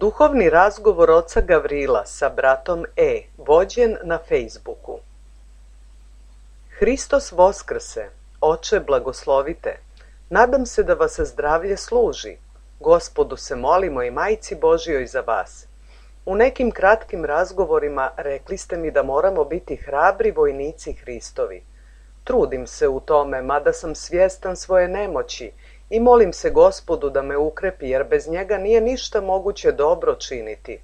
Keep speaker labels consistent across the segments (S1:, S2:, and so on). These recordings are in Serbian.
S1: Duhovni razgovor oca Gavrila sa bratom E, vođen na Facebooku. Hristos Voskrse, Oče blagoslovite, nadam se da vas zdravlje služi. Gospodu se molimo i Majci Božjoj za vas. U nekim kratkim razgovorima rekli ste mi da moramo biti hrabri vojnici Hristovi. Trudim se u tome, mada sam svjestan svoje nemoći i molim se Gospodu da me ukrepi, jer bez njega nije ništa moguće dobro činiti.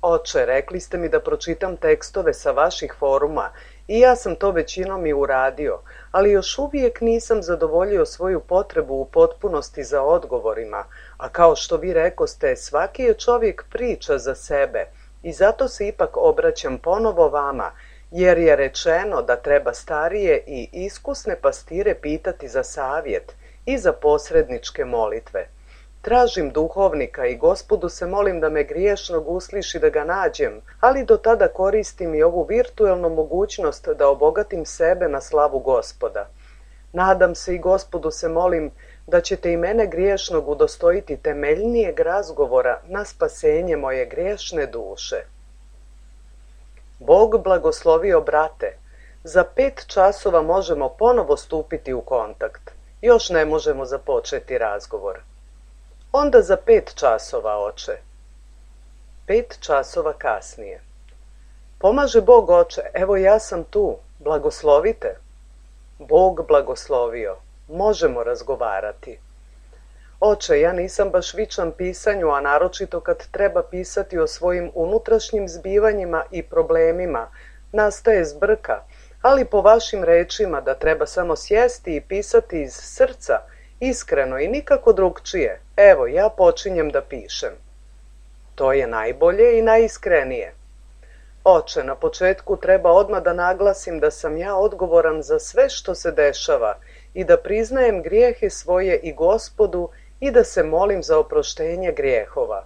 S1: Oče, rekli ste mi da pročitam tekstove sa vaših foruma i ja sam to većinom i uradio, ali još uvijek nisam zadovoljio svoju potrebu u potpunosti za odgovorima, a kao što vi rekoste, svaki je čovjek priča za sebe i zato se ipak obraćam ponovo vama, jer je rečeno da treba starije i iskusne pastire pitati za savjet i za posredničke molitve. Tražim duhovnika i Gospodu se molim da me griješnog usliši da ga nađem, ali do tada koristim i ovu virtualnu mogućnost da obogatim sebe na slavu Gospoda. Nadam se i Gospodu se molim da ćete i mene griješnog udostojiti temeljnijeg razgovora na spasenje moje griješne duše. Bog blagoslovio brate. Za 5 časova možemo ponovo stupiti u kontakt. Još ne možemo započeti razgovor. Onda za 5 časova, oče. 5 časova kasnije. Pomaže Bog, oče, evo ja sam tu, blagoslovite. Bog blagoslovio, možemo razgovarati. Oče, ja nisam baš vičan pisanju, a naročito kad treba pisati o svojim unutrašnjim zbivanjima i problemima, nastaje zbrka, ali po vašim rečima da treba samo sjesti i pisati iz srca, iskreno i nikako drugčije. Evo, ja počinjem da pišem. To je najbolje i najiskrenije. Oče, na početku treba odmah da naglasim da sam ja odgovoran za sve što se dešava i da priznajem grijehe svoje i Gospodu i da se molim za oproštenje grijehova.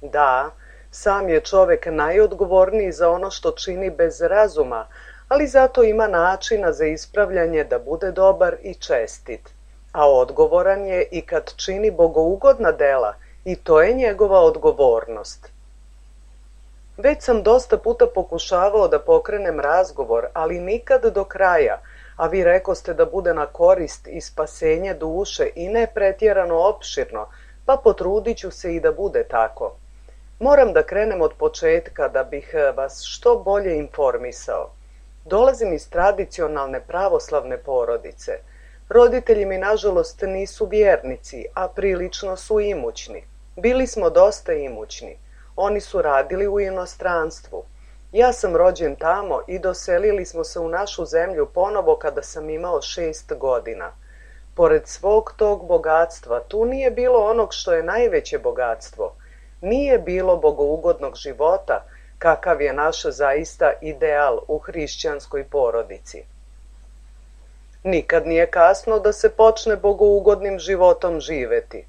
S1: Da, sam je čovjek najodgovorniji za ono što čini bez razuma, ali zato ima načina za ispravljanje da bude dobar i čestit. A odgovoran je i kad čini bogougodna dela i to je njegova odgovornost. Već sam dosta puta pokušavao da pokrenem razgovor, ali nikad do kraja, a vi rekoste da bude na korist i spasenje duše i ne pretjerano opširno, pa potrudit ću se i da bude tako. Moram da krenem od početka da bih vas što bolje informisao. Dolazim iz tradicionalne pravoslavne porodice. Roditelji mi nažalost nisu vjernici, a prilično su imućni. Bili smo dosta imućni. Oni su radili u inostranstvu. Ja sam rođen tamo i doselili smo se u našu zemlju ponovo kada sam imao 6 godina. Pored svog tog bogatstva, tu nije bilo onog što je najveće bogatstvo. Nije bilo bogougodnog života, kakav je naš zaista ideal u hrišćanskoj porodici. Nikad nije kasno da se počne bogougodnim životom živeti.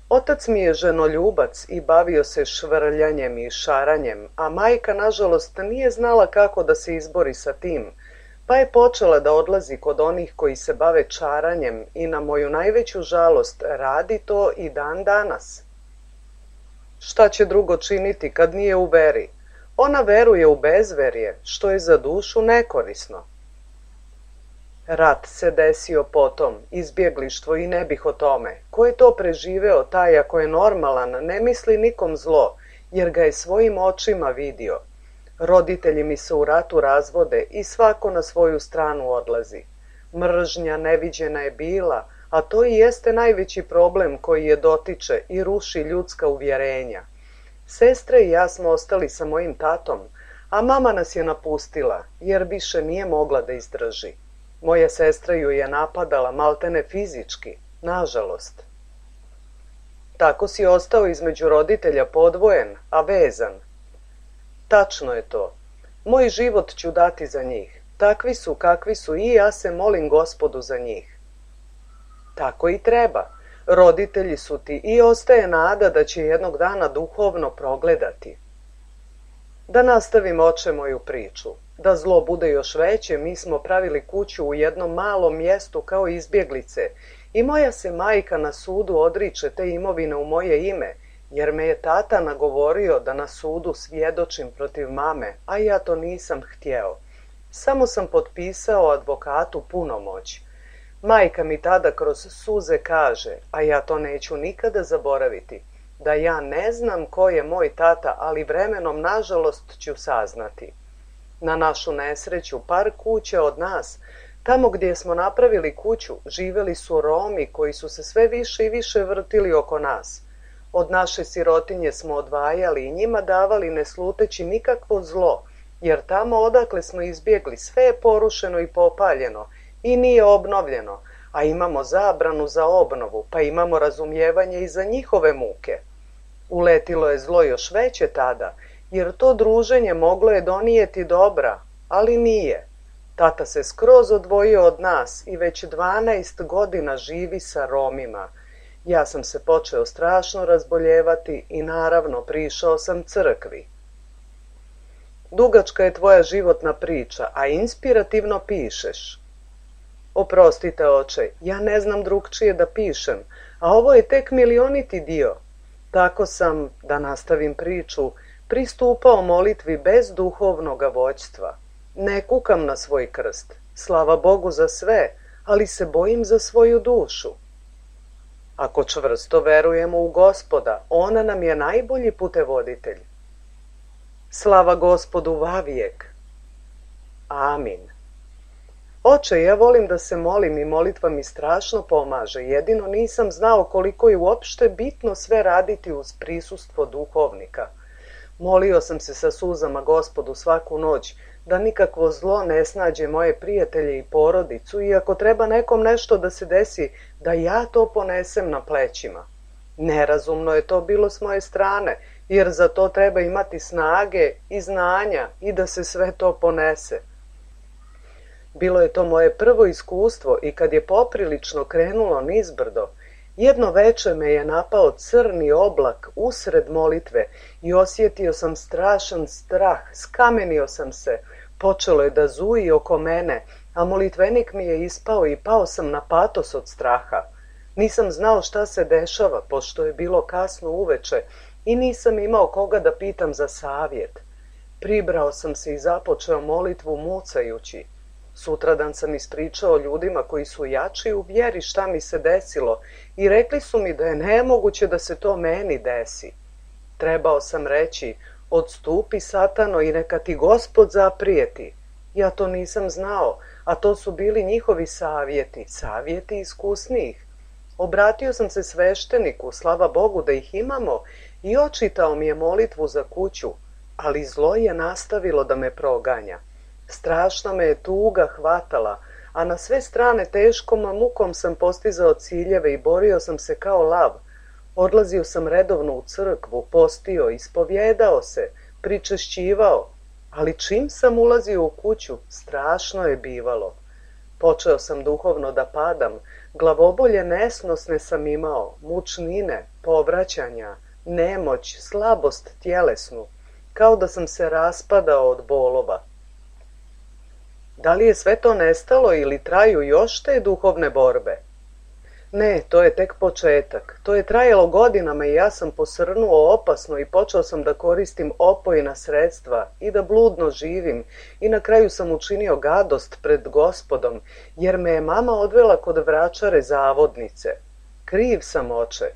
S1: Otac mi je ženoljubac i bavio se švrljanjem i šaranjem, a majka nažalost nije znala kako da se izbori sa tim, pa je počela da odlazi kod onih koji se bave čaranjem i na moju najveću žalost radi to i dan danas. Šta će drugo činiti kad nije u veri? Ona veruje u bezverje, što je za dušu nekorisno. Rat se desio potom, izbjeglištvo i ne bih o tome. Ko je to preživeo, taj ako je normalan, ne misli nikom zlo, jer ga je svojim očima vidio. Roditelji mi se u ratu razvode i svako na svoju stranu odlazi. Mržnja neviđena je bila, a to i jeste najveći problem koji je dotiče i ruši ljudska uvjerenja. Sestre i ja smo ostali sa mojim tatom, a mama nas je napustila, jer više nije mogla da izdrži. Moja sestra ju je napadala maltene fizički, nažalost. Tako si ostao između roditelja podvojen, a vezan. Tačno je to. Moj život ću dati za njih. Takvi su kakvi su i ja se molim Gospodu za njih. Tako i treba. Roditelji su ti i ostaje nada da će jednog dana duhovno progledati. Da nastavim, oče, moju priču. Da zlo bude još veće, mi smo pravili kuću u jednom malom mjestu kao izbjeglice I moja se majka na sudu odriče te imovine u moje ime, jer me je tata nagovorio da na sudu svjedočim protiv mame, a ja to nisam htjeo. Samo sam potpisao advokatu punomoć. Majka mi tada kroz suze kaže, a ja to neću nikada zaboraviti, da ja ne znam ko je moj tata, ali vremenom nažalost ću saznati. Na našu nesreću, par kuća od nas, tamo gdje smo napravili kuću, živjeli su Romi koji su se sve više i više vrtili oko nas. Od naše sirotinje smo odvajali i njima davali ne sluteći nikakvo zlo, jer tamo odakle smo izbjegli sve je porušeno i popaljeno i nije obnovljeno, a imamo zabranu za obnovu, pa imamo razumijevanje i za njihove muke. Uletilo je zlo još veće tada, jer to druženje moglo je donijeti dobra, ali nije. Tata se skroz odvojio od nas i već 12 godina živi sa Romima. Ja sam se počeo strašno razboljevati i naravno prišao sam crkvi. Dugačka je tvoja životna priča, a inspirativno pišeš. Oprostite, oče, ja ne znam drugčije da pišem, a ovo je tek milioniti dio. Tako sam, da nastavim priču, pristupao molitvi bez duhovnoga vođstva. Ne kukam na svoj krst, slava Bogu za sve, ali se bojim za svoju dušu. Ako čvrsto verujemo u Gospoda, on nam je najbolji putevoditelj. Slava Gospodu vavijek. Amin. Oče, ja volim da se molim i molitva mi strašno pomaže, jedino nisam znao koliko je uopšte bitno sve raditi uz prisustvo duhovnika. Molio sam se sa suzama Gospodu svaku noć, da nikakvo zlo ne snađe moje prijatelje i porodicu i ako treba nekom nešto da se desi, da ja to ponesem na plećima. Nerazumno je to bilo s moje strane, jer za to treba imati snage i znanja i da se sve to ponese. Bilo je to moje prvo iskustvo i kad je poprilično krenulo nizbrdo, jedno veče me je napao crni oblak usred molitve i osjetio sam strašan strah, skamenio sam se, počelo je da zuji oko mene, a molitvenik mi je ispao i pao sam na patos od straha. Nisam znao šta se dešava, pošto je bilo kasno uveče i nisam imao koga da pitam za savjet. Pribrao sam se i započeo molitvu mucajući. Sutradan sam ispričao ljudima koji su jači u vjeri šta mi se desilo i rekli su mi da je nemoguće da se to meni desi. Trebao sam reći, odstupi satano i neka ti Gospod zaprijeti. Ja to nisam znao, a to su bili njihovi savjeti iskusnijih. Obratio sam se svešteniku, slava Bogu da ih imamo, i očitao mi je molitvu za kuću, ali zlo je nastavilo da me proganja. Strašna me je tuga hvatala, a na sve strane teškom mukom sam postizao ciljeve i borio sam se kao lav. Odlazio sam redovno u crkvu, postio, ispovjedao se, pričešćivao, ali čim sam ulazio u kuću, strašno je bivalo. Počeo sam duhovno da padam, glavobolje nesnosne sam imao, mučnine, povraćanja, nemoć, slabost tjelesnu, kao da sam se raspadao od bolova. Da li je sve to nestalo ili traju još te duhovne borbe? Ne, to je tek početak. To je trajalo godinama i ja sam posrnuo opasno i počeo sam da koristim opojna sredstva i da bludno živim i na kraju sam učinio gadost pred Gospodom, jer me je mama odvela kod vračare zavodnice. Kriv sam, oče.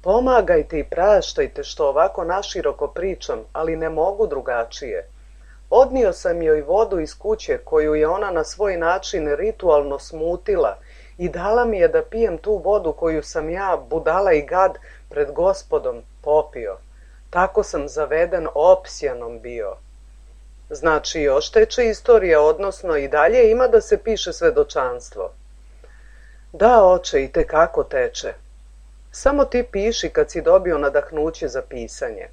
S1: Pomagajte i praštajte što ovako naširoko pričam, ali ne mogu drugačije. Odnio sam joj vodu iz kuće koju je ona na svoj način ritualno smutila i dala mi je da pijem tu vodu koju sam ja, budala i gad, pred Gospodom popio. Tako sam zaveden opsjanom bio. Znači, još teče istorija, odnosno i dalje ima da se piše svedočanstvo. Da, oče, i tekako teče. Samo ti piši kad si dobio nadahnuće za pisanje.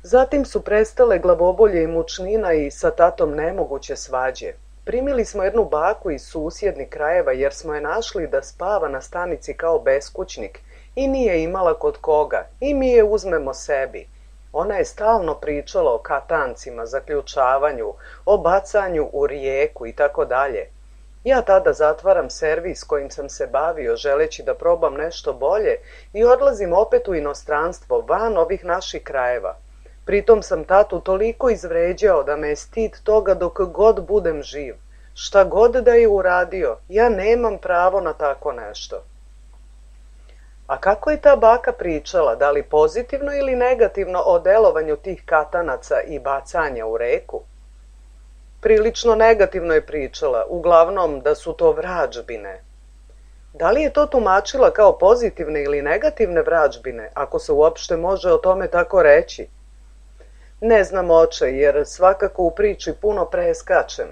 S1: Zatim su prestale glavobolje i mučnina i sa tatom nemoguće svađe. Primili smo jednu baku iz susjednih krajeva jer smo je našli da spava na stanici kao beskućnik i nije imala kod koga i mi je uzmemo sebi. Ona je stalno pričala o katancima, zaključavanju, o bacanju u rijeku i tako dalje. Ja tada zatvaram servis kojim sam se bavio želeći da probam nešto bolje i odlazim opet u inostranstvo, van ovih naših krajeva. Pritom sam tatu toliko izvređao da me je stid toga dok god budem živ. Šta god da je uradio, ja nemam pravo na tako nešto. A kako je ta baka pričala, da li pozitivno ili negativno o delovanju tih katanaca i bacanja u reku? Prilično negativno je pričala, uglavnom da su to vrađbine. Da li je to tumačila kao pozitivne ili negativne vrađbine, ako se uopšte može o tome tako reći? Ne znam, oče, jer svakako u priči puno preskačem.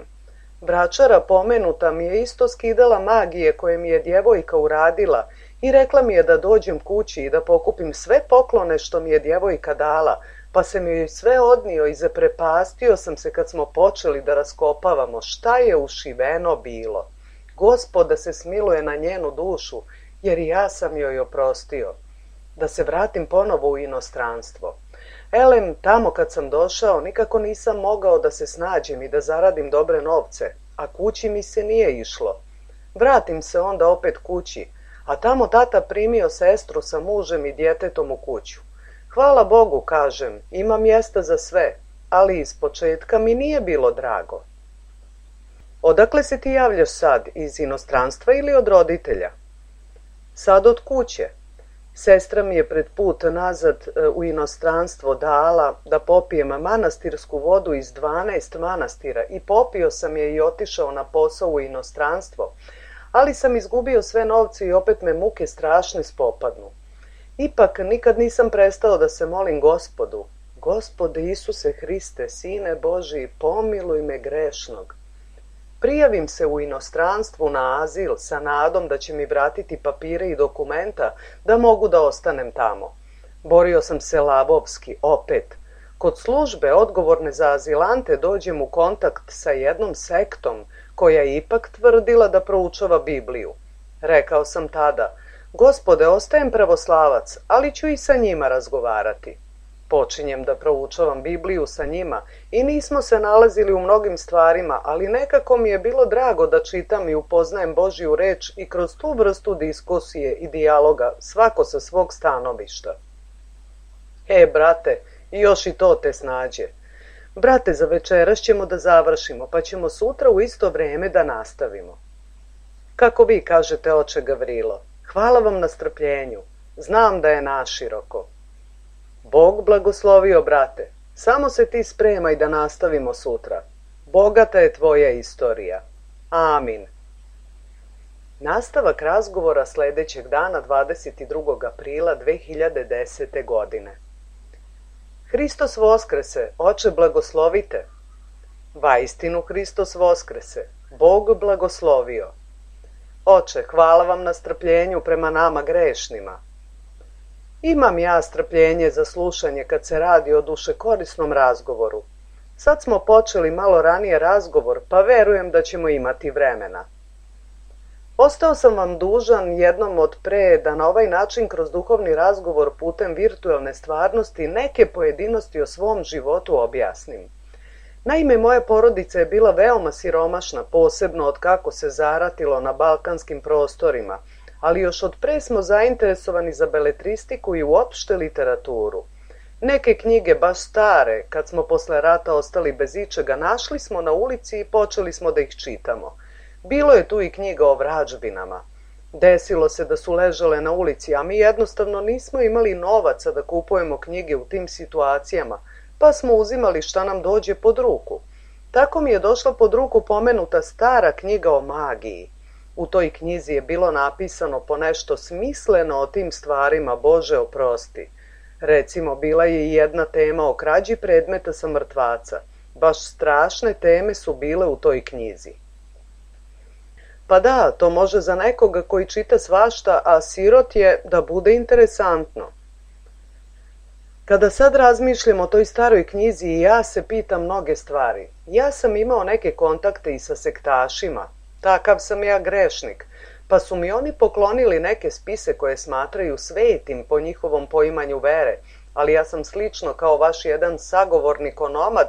S1: Braćara pomenuta mi je isto skidala magije koje mi je djevojka uradila i rekla mi je da dođem kući i da pokupim sve poklone što mi je djevojka dala, pa sam joj sve odnio i zaprepastio sam se kad smo počeli da raskopavamo šta je ušiveno bilo. Gospod da se smiluje na njenu dušu, jer i ja sam joj oprostio. Da se vratim ponovo u inostranstvo. Elem, tamo kad sam došao, nikako nisam mogao da se snađem i da zaradim dobre novce, a kući mi se nije išlo. Vratim se onda opet kući, a tamo tata primio sestru sa mužem i djetetom u kuću. Hvala Bogu, kažem, ima mjesta za sve, ali iz početka mi nije bilo drago. Odakle se ti javljaš sad, iz inostranstva ili od roditelja? Sad od kuće. Sestra mi je pred put nazad u inostranstvo dala da popijem manastirsku vodu iz 12 manastira i popio sam je i otišao na posao u inostranstvo, ali sam izgubio sve novce i opet me muke strašne spopadnu. Ipak nikad nisam prestao da se molim Gospodu. Gospode Isuse Hriste, Sine Božji, pomiluj me grešnog. Prijavim se u inostranstvu na azil sa nadom da će mi vratiti papire i dokumenta da mogu da ostanem tamo. Borio sam se lavovski, opet. Kod službe odgovorne za azilante dođem u kontakt sa jednom sektom koja je ipak tvrdila da proučava Bibliju. Rekao sam tada, Gospode, ostajem pravoslavac, ali ću i sa njima razgovarati. Počinjem da proučavam Bibliju sa njima i nismo se nalazili u mnogim stvarima, ali nekako mi je bilo drago da čitam i upoznajem Božju reč i kroz tu vrstu diskusije i dijaloga, svako sa svog stanovišta. Brate, još i to te snađe. Brate, za večeras ćemo da završimo, pa ćemo sutra u isto vrijeme da nastavimo. Kako vi kažete, oče Gavrilo, hvala vam na strpljenju. Znam da je naširoko. Bog blagoslovio, brate. Samo se ti spremaj da nastavimo sutra. Bogata je tvoja istorija. Amin. Nastavak razgovora sljedećeg dana 22. aprila 2010. godine. Hristos voskrese, oče blagoslovite. Vaistinu Hristos voskrese, Bog blagoslovio. Oče, hvala vam na strpljenju prema nama grešnima. Imam ja strpljenje za slušanje kad se radi o dušekorisnom razgovoru. Sad smo počeli malo ranije razgovor, pa verujem da ćemo imati vremena. Ostao sam vam dužan jednom od pre da na ovaj način kroz duhovni razgovor putem virtualne stvarnosti neke pojedinosti o svom životu objasnim. Naime, moja porodica je bila veoma siromašna, posebno od kako se zaratilo na balkanskim prostorima, ali još od pre smo zainteresovani za beletristiku i uopšte literaturu. Neke knjige, baš stare, kad smo posle rata ostali bez ičega, našli smo na ulici i počeli smo da ih čitamo. Bilo je tu i knjiga o vrađbinama. Desilo se da su ležale na ulici, a mi jednostavno nismo imali novaca da kupujemo knjige u tim situacijama, pa smo uzimali šta nam dođe pod ruku. Tako mi je došla pod ruku pomenuta stara knjiga o magiji. U toj knjizi je bilo napisano po nešto smisleno o tim stvarima, Bože oprosti. Recimo, bila je i jedna tema o krađi predmeta sa mrtvaca. Baš strašne teme su bile u toj knjizi. Pa da, to može za nekoga koji čita svašta, a sirot je, da bude interesantno. Kada sad razmišljam o toj staroj knjizi i ja se pitam mnoge stvari. Ja sam imao neke kontakte i sa sektašima. Takav sam ja grešnik, pa su mi oni poklonili neke spise koje smatraju svetim po njihovom poimanju vere, ali ja sam slično kao vaš jedan sagovornik onomad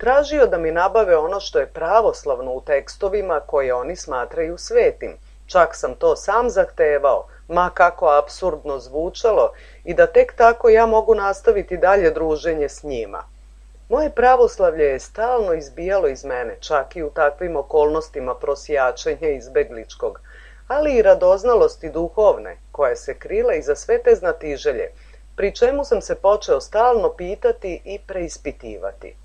S1: Tražio da mi nabave ono što je pravoslavno u tekstovima koje oni smatraju svetim. Čak sam to sam zahtevao, ma kako apsurdno zvučalo, i da tek tako ja mogu nastaviti dalje druženje s njima. Moje pravoslavlje je stalno izbijalo iz mene, čak i u takvim okolnostima prosjačenja izbegličkog, ali i radoznalosti duhovne, koja se krila iza sve te znatiželje, pri čemu sam se počeo stalno pitati i preispitivati.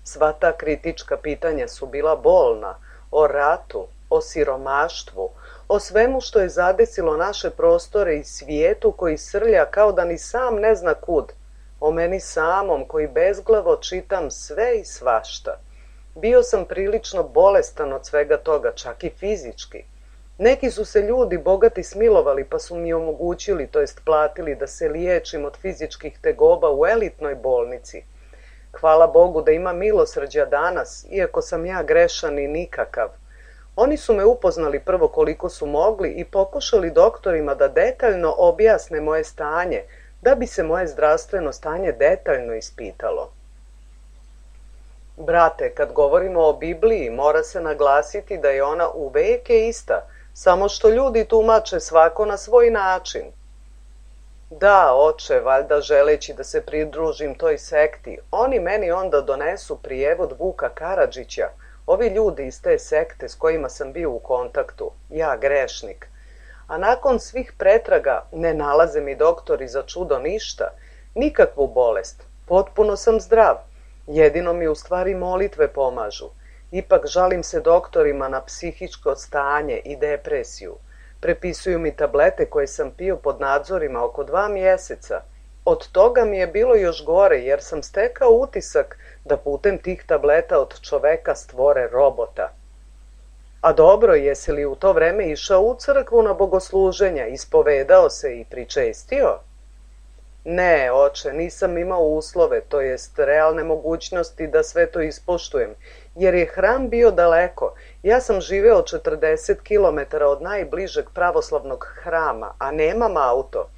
S1: Sva ta kritička pitanja su bila bolna, o ratu, o siromaštvu, o svemu što je zadesilo naše prostore i svijetu koji srlja kao da ni sam ne zna kud, o meni samom koji bezglavo čitam sve i svašta. Bio sam prilično bolestan od svega toga, čak i fizički. Neki su se ljudi bogati smilovali pa su mi omogućili, to jest platili, da se liječim od fizičkih tegoba u elitnoj bolnici. Hvala Bogu da ima milosrđa danas, iako sam ja grešan i nikakav. Oni su me upoznali prvo koliko su mogli i pokušali doktorima da detaljno objasne moje stanje, da bi se moje zdravstveno stanje detaljno ispitalo. Brate, kad govorimo o Bibliji, mora se naglasiti da je ona uveke ista, samo što ljudi tumače svako na svoj način. Da, oče, valjda želeći da se pridružim toj sekti, oni meni onda donesu prijevod Vuka Karadžića, ovi ljudi iz te sekte s kojima sam bio u kontaktu, ja grešnik. A nakon svih pretraga ne nalaze mi doktori za čudo ništa, nikakvu bolest, potpuno sam zdrav, jedino mi u stvari molitve pomažu. Ipak žalim se doktorima na psihičko stanje i depresiju. Prepisuju mi tablete koje sam pio pod nadzorima oko 2 mjeseca. Od toga mi je bilo još gore jer sam stekao utisak da putem tih tableta od čoveka stvore robota. A dobro, jesi li u to vreme išao u crkvu na bogosluženja, ispovedao se i pričestio? Ne, oče, nisam imao uslove, to jest realne mogućnosti da sve to ispoštujem, jer je hram bio daleko. Ja sam živeo 40 km od najbližeg pravoslavnog hrama, a nemam auto.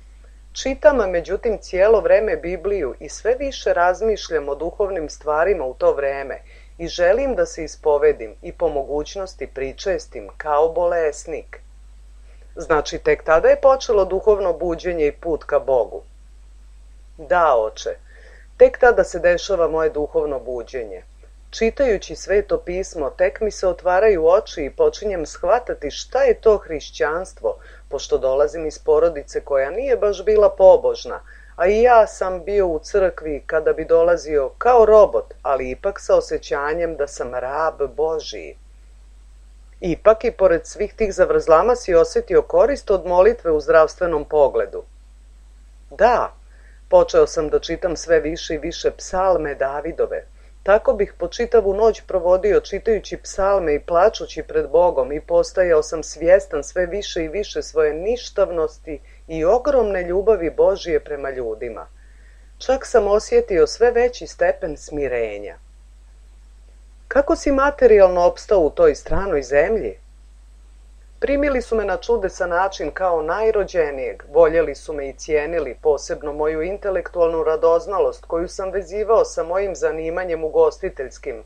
S1: Čitam, međutim, cijelo vreme Bibliju i sve više razmišljam o duhovnim stvarima u to vreme i želim da se ispovedim i po mogućnosti pričestim kao bolesnik. Znači, tek tada je počelo duhovno buđenje i put ka Bogu. Da, oče, tek tada se dešava moje duhovno buđenje. Čitajući Sveto pismo, tek mi se otvaraju oči i počinjem shvatati šta je to hrišćanstvo, pošto dolazim iz porodice koja nije baš bila pobožna, a i ja sam bio u crkvi kada bi dolazio kao robot, ali ipak sa osjećanjem da sam rab Božiji. Ipak i pored svih tih zavrzlama si osjetio korist od molitve u zdravstvenom pogledu. Da, počeo sam da čitam sve više i više psalme Davidove. Tako bih po čitavu noć provodio čitajući psalme i plačući pred Bogom i postajao sam svjestan sve više i više svoje ništavnosti i ogromne ljubavi Božije prema ljudima. Čak sam osjetio sve veći stepen smirenja. Kako si materijalno opstao u toj stranoj zemlji? Primili su me na čudesan način kao najrođenijeg, voljeli su me i cijenili, posebno moju intelektualnu radoznalost koju sam vezivao sa mojim zanimanjem ugostiteljskim,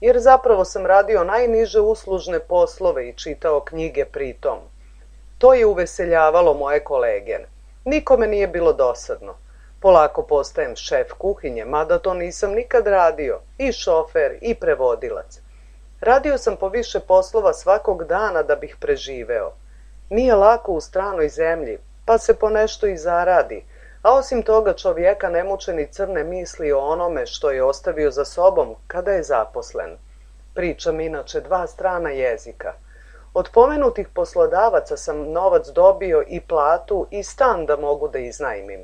S1: jer zapravo sam radio najniže uslužne poslove i čitao knjige pritom. To je uveseljavalo moje kolege. Nikome nije bilo dosadno. Polako postajem šef kuhinje, mada to nisam nikad radio, i šofer i prevodilac. Radio sam po više poslova svakog dana da bih preživeo. Nije lako u stranoj zemlji, pa se po nešto i zaradi, a osim toga čovjeka ne muče ni crne misli o onome što je ostavio za sobom kada je zaposlen. Pričam inače 2 strana jezika. Od pomenutih poslodavaca sam novac dobio i platu i stan da mogu da iznajmim.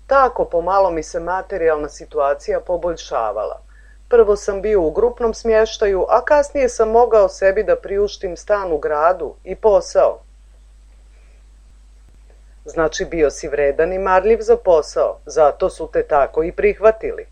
S1: Tako pomalo mi se materijalna situacija poboljšavala. Prvo sam bio u grupnom smještaju, a kasnije sam mogao sebi da priuštim stan u gradu i posao. Znači bio si vredan i marljiv za posao, zato su te tako i prihvatili.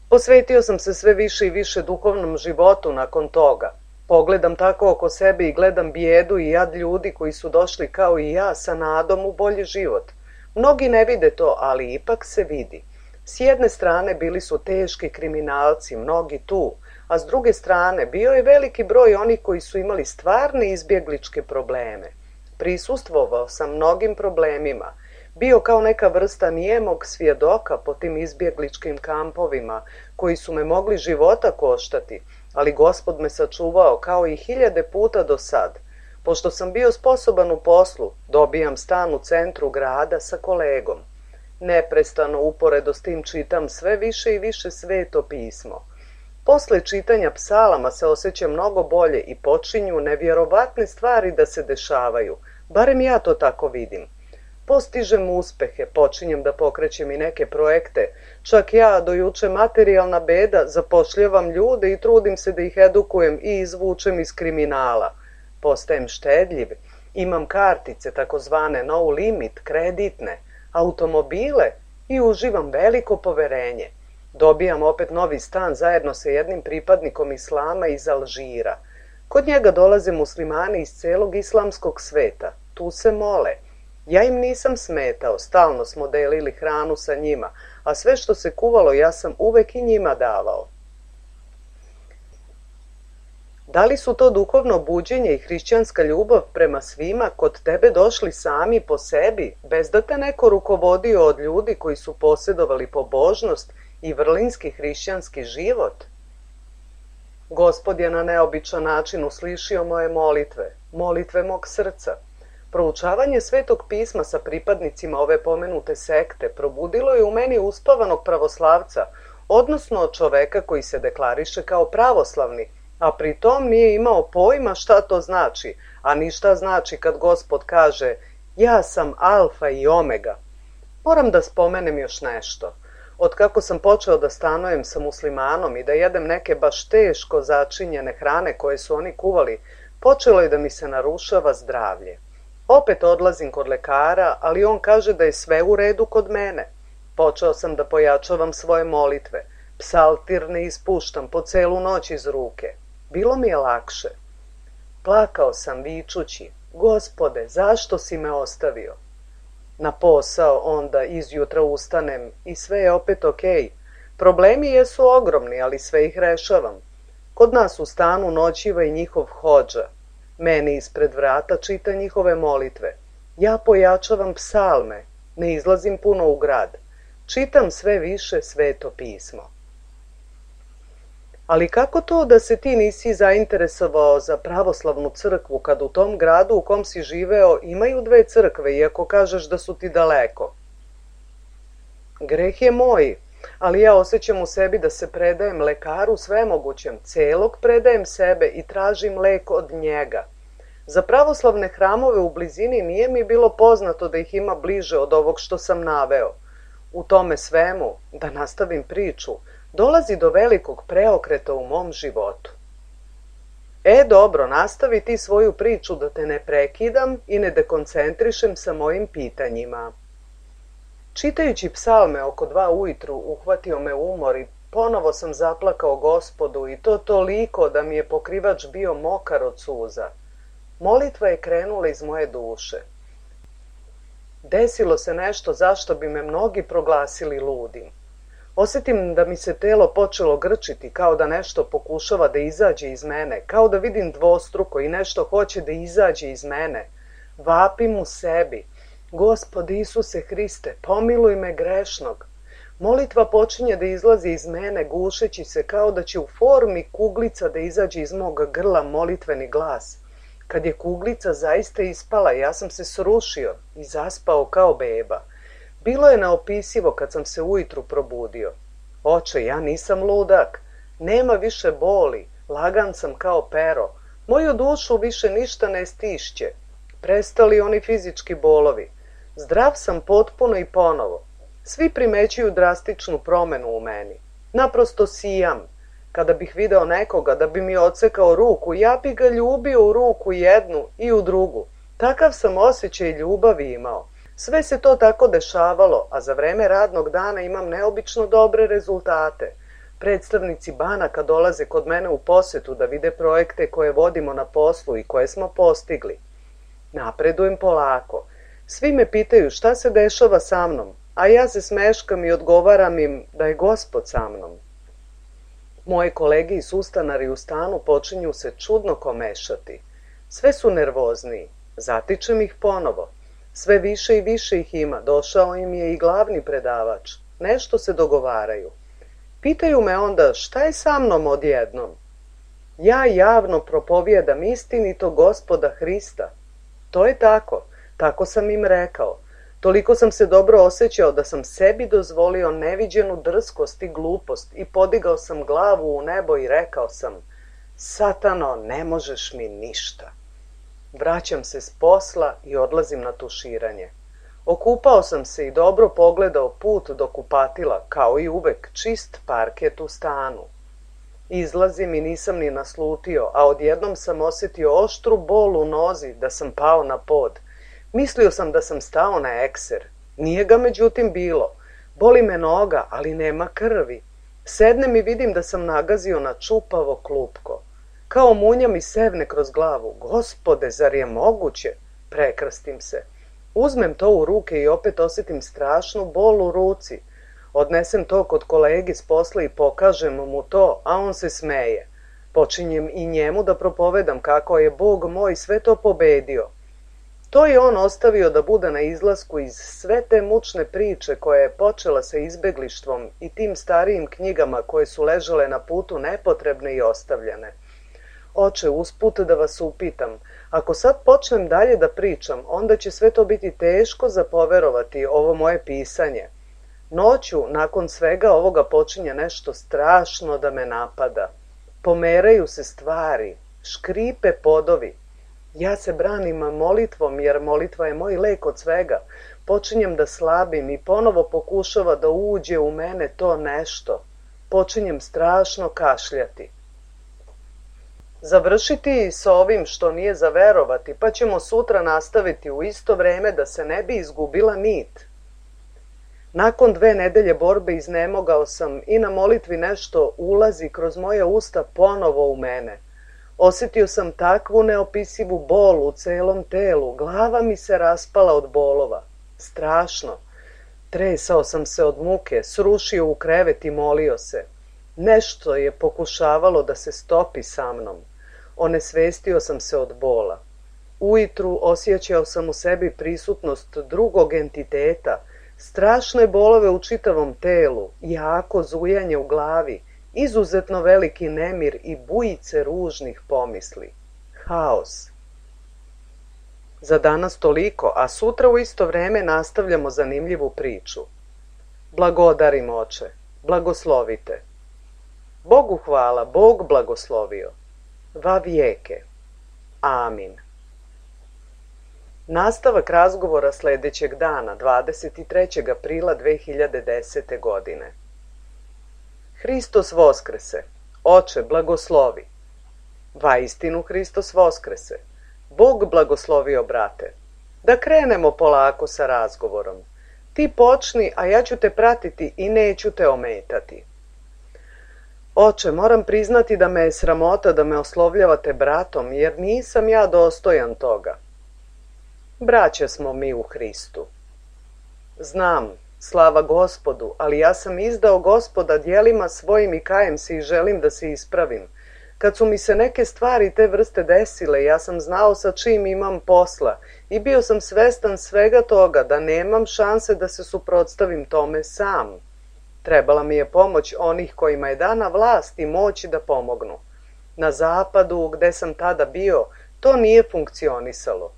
S1: Posvetio sam se sve više i više duhovnom životu nakon toga. Pogledam tako oko sebe i gledam bijedu i jad ljudi koji su došli kao i ja sa nadom u bolji život. Mnogi ne vide to, ali ipak se vidi. S jedne strane bili su teški kriminalci, mnogi tu, a s druge strane bio je veliki broj onih koji su imali stvarne izbjegličke probleme. Prisustvovao sam mnogim problemima, bio kao neka vrsta nijemog svjedoka po tim izbjegličkim kampovima koji su me mogli života koštati, ali Gospod me sačuvao kao i 1000 puta do sad. Pošto sam bio sposoban u poslu, dobijam stan u centru grada sa kolegom. Neprestano uporedo s tim čitam sve više i više Sveto pismo. Posle čitanja psalama se osjećam mnogo bolje i počinju nevjerovatne stvari da se dešavaju, barem ja to tako vidim. Postižem uspehe, počinjem da pokrećem i neke projekte, čak ja, do juče materijalna beda, zapošljavam ljude i trudim se da ih edukujem i izvučem iz kriminala. Postajem štedljiv, imam kartice, takozvane no limit, kreditne, automobile i uživam veliko poverenje. Dobijam opet novi stan zajedno sa jednim pripadnikom islama iz Alžira. Kod njega dolaze muslimani iz celog islamskog sveta. Tu se mole. Ja im nisam smetao, stalno smo delili hranu sa njima, a sve što se kuvalo ja sam uvek i njima davao. Da li su to duhovno buđenje i hrišćanska ljubav prema svima kod tebe došli sami po sebi, bez da te neko rukovodio od ljudi koji su posjedovali pobožnost i vrlinski hrišćanski život? Gospod je na neobičan način uslišio moje molitve, molitve mog srca. Proučavanje Svetog pisma sa pripadnicima ove pomenute sekte probudilo je u meni uspavanog pravoslavca, odnosno čoveka koji se deklariše kao pravoslavni, a pritom nije imao pojma šta to znači, a ni šta znači kad Gospod kaže ja sam alfa i omega. Moram da spomenem još nešto. Od kako sam počeo da stanujem sa muslimanom i da jedem neke baš teško začinjene hrane koje su oni kuvali, počelo je da mi se narušava zdravlje. Opet odlazim kod lekara, ali on kaže da je sve u redu kod mene. Počeo sam da pojačavam svoje molitve. Psaltir ne ispuštam po celu noć iz ruke. Bilo mi je lakše. Plakao sam vičući, Gospode, zašto si me ostavio? Na posao onda izjutra ustanem i sve je opet okej. Problemi jesu ogromni, ali sve ih rešavam. Kod nas u stanu noćiva i njihov hodža. Meni ispred vrata čita njihove molitve. Ja pojačavam psalme, ne izlazim puno u grad. Čitam sve više Sveto pismo. Ali kako to da se ti nisi zainteresovao za pravoslavnu crkvu kad u tom gradu u kom si živeo imaju 2 crkve, iako kažeš da su ti daleko? Greh je moj, ali ja osjećam u sebi da se predajem lekaru svemogućem, celog predajem sebe i tražim lek od njega. Za pravoslavne hramove u blizini nije mi bilo poznato da ih ima bliže od ovog što sam naveo. U tome svemu, da nastavim priču, dolazi do velikog preokreta u mom životu. Dobro, nastavi ti svoju priču da te ne prekidam i ne dekoncentrišem sa mojim pitanjima. Čitajući psalme oko 2 ujutru uhvatio me umor i ponovo sam zaplakao Gospodu i to toliko da mi je pokrivač bio mokar od suza. Molitva je krenula iz moje duše. Desilo se nešto zašto bi me mnogi proglasili ludim. Osjetim da mi se telo počelo grčiti, kao da nešto pokušava da izađe iz mene, kao da vidim dvostruko i nešto hoće da izađe iz mene. Vapim u sebi. Gospod Isuse Hriste, pomiluj me grešnog. Molitva počinje da izlazi iz mene, gušeći se kao da će u formi kuglica da izađe iz mog grla molitveni glas. Kad je kuglica zaista ispala, ja sam se srušio i zaspao kao beba. Bilo je neopisivo kad sam se ujutru probudio. Oče, ja nisam ludak, nema više boli, lagan sam kao pero. Moju dušu više ništa ne stišće. Prestali oni fizički bolovi. Zdrav sam potpuno i ponovo. Svi primećuju drastičnu promenu u meni. Naprosto sijam. Kada bih video nekoga da bi mi odsekao ruku, ja bi ga ljubio u ruku jednu i u drugu. Takav sam osjećaj ljubavi imao. Sve se to tako dešavalo, a za vreme radnog dana imam neobično dobre rezultate. Predstavnici banaka dolaze kod mene u posetu da vide projekte koje vodimo na poslu i koje smo postigli. Napredujem polako. Svi me pitaju šta se dešava sa mnom. a ja se smeškam i odgovaram im da je Gospod sa mnom. Moje kolege i sustanari u stanu počinju se čudno komešati. Sve su nervozniji. Zatičem ih ponovo. Sve više i više ih ima. Došao im je i glavni predavač. Nešto se dogovaraju. Pitaju me onda šta je sa mnom odjednom. Ja javno propovijedam istinito Gospoda Hrista. To je tako. Tako sam im rekao. Toliko sam se dobro osjećao da sam sebi dozvolio neviđenu drskost i glupost i podigao sam glavu u nebo i rekao sam: Satano, ne možeš mi ništa. Vraćam se s posla i odlazim na tuširanje. Okupao sam se i dobro pogledao put do kupatila, kao i uvek čist parket u stanu. Izlazim i nisam ni naslutio, a odjednom sam osjetio oštru bol u nozi da sam pao na pod. Mislio sam da sam stao na ekser. Nije ga međutim bilo. Boli me noga, ali nema krvi. Sednem i vidim da sam nagazio na čupavo klupko. Kao munja mi sevne kroz glavu. Gospode, zar je moguće? Prekrstim se. Uzmem to u ruke i opet osjetim strašnu bol u ruci. Odnesem to kod kolegi s posla i pokažem mu to, a on se smeje. Počinjem i njemu da propovedam kako je Bog moj sve to pobedio. To je on ostavio da bude na izlasku iz sve te mučne priče koja je počela sa izbeglištvom i tim starijim knjigama koje su ležale na putu nepotrebne i ostavljene. Oče, usput da vas upitam, ako sad počnem dalje da pričam, onda će sve to biti teško za poverovati ovo moje pisanje. Noću, nakon svega ovoga, počinje nešto strašno da me napada. Pomeraju se stvari, škripe podovi. Ja se branim molitvom, jer molitva je moj lek od svega. Počinjem da slabim i ponovo pokušava da uđe u mene to nešto. Počinjem strašno kašljati. Završiti sa ovim što nije za verovati, pa ćemo sutra nastaviti u isto vreme da se ne bi izgubila nit. Nakon 2 nedelje borbe iznemogao sam i na molitvi nešto ulazi kroz moja usta ponovo u mene. Osjetio sam takvu neopisivu bol u celom telu, glava mi se raspala od bolova. Strašno. Tresao sam se od muke, srušio u krevet i molio se. Nešto je pokušavalo da se stopi sa mnom. Onesvestio sam se od bola. Ujutru osjećao sam u sebi prisutnost drugog entiteta, strašne bolove u čitavom telu, jako zujanje u glavi, izuzetno veliki nemir i bujice ružnih pomisli. Haos. Za danas toliko, a sutra u isto vreme nastavljamo zanimljivu priču. Blagodarim, Oče, blagoslovite. Bogu hvala, Bog blagoslovio. Va vijeke. Amin. Nastavak razgovora sljedećeg dana, 23. aprila 2010. godine. Hristos voskrese. Oče, blagoslovi. Vaistinu Hristos voskrese. Bog blagoslovio, brate. Da krenemo polako sa razgovorom. Ti počni, a ja ću te pratiti i neću te ometati. Oče, moram priznati da me je sramota da me oslovljavate bratom, jer nisam ja dostojan toga. Braća smo mi u Hristu. Znam, slava Gospodu, ali ja sam izdao Gospoda djelima svojim i kajem se i želim da se ispravim. Kad su mi se neke stvari te vrste desile, ja sam znao sa čim imam posla i bio sam svestan svega toga da nemam šanse da se suprotstavim tome sam. Trebala mi je pomoć onih kojima je dana vlast i moć da pomognu. Na zapadu, gde sam tada bio, to nije funkcionisalo.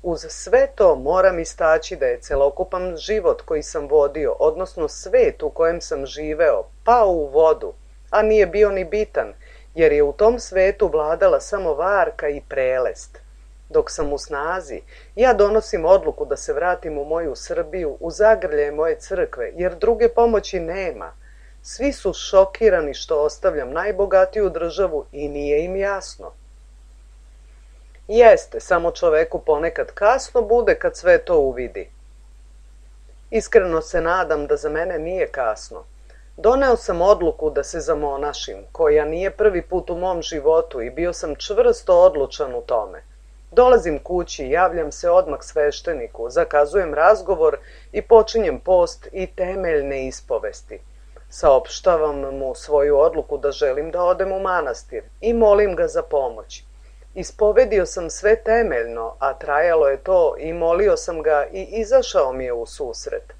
S1: Uz sve to moram istaći da je celokupan život koji sam vodio, odnosno svet u kojem sam živeo, pao u vodu, a nije bio ni bitan, jer je u tom svetu vladala samo varka i prelest. Dok sam u snazi, ja donosim odluku da se vratim u moju Srbiju, u zagrlje moje crkve, jer druge pomoći nema. Svi su šokirani što ostavljam najbogatiju državu i nije im jasno. Jeste, samo čoveku ponekad kasno bude kad sve to uvidi. Iskreno se nadam da za mene nije kasno. Doneo sam odluku da se zamonašim, koja nije prvi put u mom životu i bio sam čvrsto odlučan u tome. Dolazim kući, javljam se odmah svešteniku, zakazujem razgovor i počinjem post i temeljne ispovesti. Saopštavam mu svoju odluku da želim da odem u manastir i molim ga za pomoć. Ispovedio sam sve temeljno, a trajalo je to i molio sam ga i izašao mi je u susret.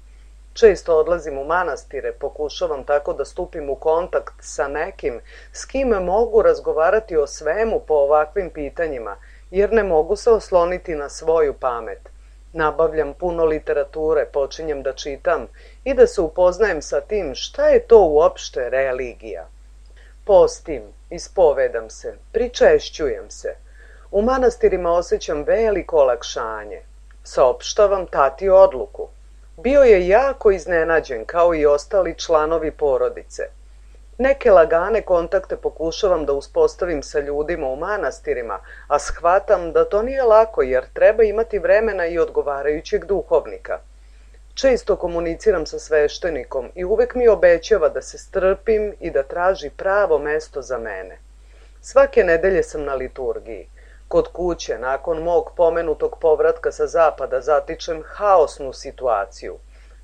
S1: Često odlazim u manastire, pokušavam tako da stupim u kontakt sa nekim s kim mogu razgovarati o svemu po ovakvim pitanjima, jer ne mogu se osloniti na svoju pamet. Nabavljam puno literature, počinjem da čitam i da se upoznajem sa tim šta je to uopšte religija. Postim, ispovedam se, pričešćujem se. U manastirima osjećam veliko olakšanje. Saopštavam tati odluku. Bio je jako iznenađen, kao i ostali članovi porodice. Neke lagane kontakte pokušavam da uspostavim sa ljudima u manastirima, a shvatam da to nije lako jer treba imati vremena i odgovarajućeg duhovnika. Često komuniciram sa sveštenikom i uvek mi obećava da se strpim i da traži pravo mesto za mene. Svake nedelje sam na liturgiji. Kod kuće, nakon mog pomenutog povratka sa zapada, zatičem haosnu situaciju.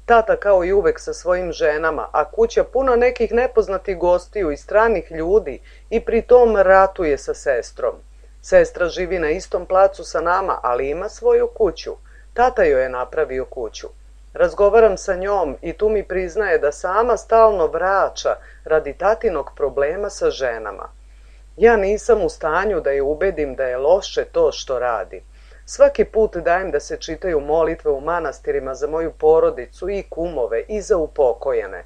S1: Tata kao i uvek sa svojim ženama, a kuća puna nekih nepoznatih gostiju i stranih ljudi i pri tom ratuje sa sestrom. Sestra živi na istom placu sa nama, ali ima svoju kuću. Tata joj je napravio kuću. Razgovaram sa njom i tu mi priznaje da sama stalno vraća radi tatinog problema sa ženama. Ja nisam u stanju da je ubedim da je loše to što radi. Svaki put dajem da se čitaju molitve u manastirima za moju porodicu i kumove i za upokojene.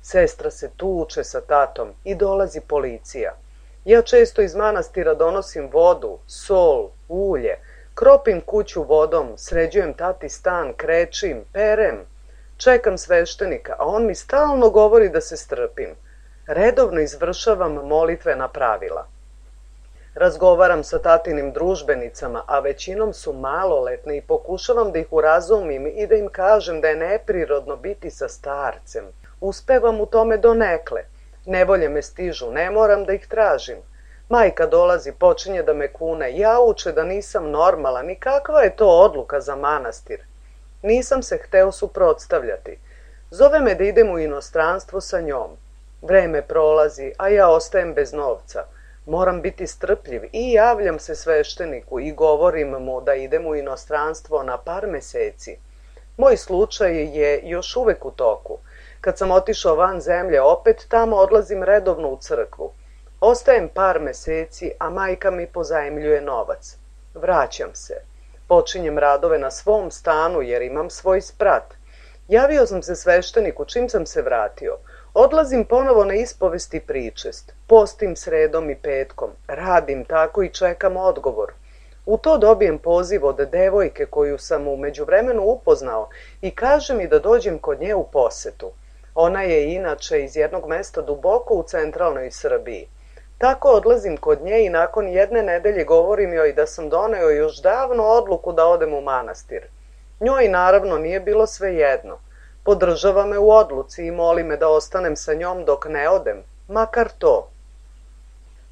S1: Sestra se tuče sa tatom i dolazi policija. Ja često iz manastira donosim vodu, sol, ulje, kropim kuću vodom, sređujem tati stan, krečim, perem. Čekam sveštenika, a on mi stalno govori da se strpim. Redovno izvršavam molitvena pravila. Razgovaram sa tatinim družbenicama, a većinom su maloletne i pokušavam da ih urazumim i da im kažem da je neprirodno biti sa starcem. Uspevam u tome donekle. Nevolje me stižu, ne moram da ih tražim. Majka dolazi, počinje da me kune, jauče da nisam normalan i kakva je to odluka za manastir. Nisam se hteo suprotstavljati. Zove me da idem u inostranstvo sa njom. Vreme prolazi, a ja ostajem bez novca. Moram biti strpljiv i javljam se svešteniku i govorim mu da idem u inostranstvo na par meseci. Moj slučaj je još uvek u toku. Kad sam otišao van zemlje, opet tamo odlazim redovno u crkvu. Ostajem par meseci, a majka mi pozajmljuje novac. Vraćam se. Počinjem radove na svom stanu jer imam svoj sprat. Javio sam se svešteniku čim sam se vratio. Odlazim ponovo na ispovest i pričest. Postim sredom i petkom. Radim tako i čekam odgovor. U to dobijem poziv od devojke koju sam u međuvremenu upoznao i kaže mi da dođem kod nje u posetu. Ona je inače iz jednog mesta duboko u centralnoj Srbiji. Tako odlazim kod nje i nakon jedne nedelje govorim joj da sam doneo još davno odluku da odem u manastir. Njoj naravno nije bilo svejedno. Podržava me u odluci i moli me da ostanem sa njom dok ne odem, makar to.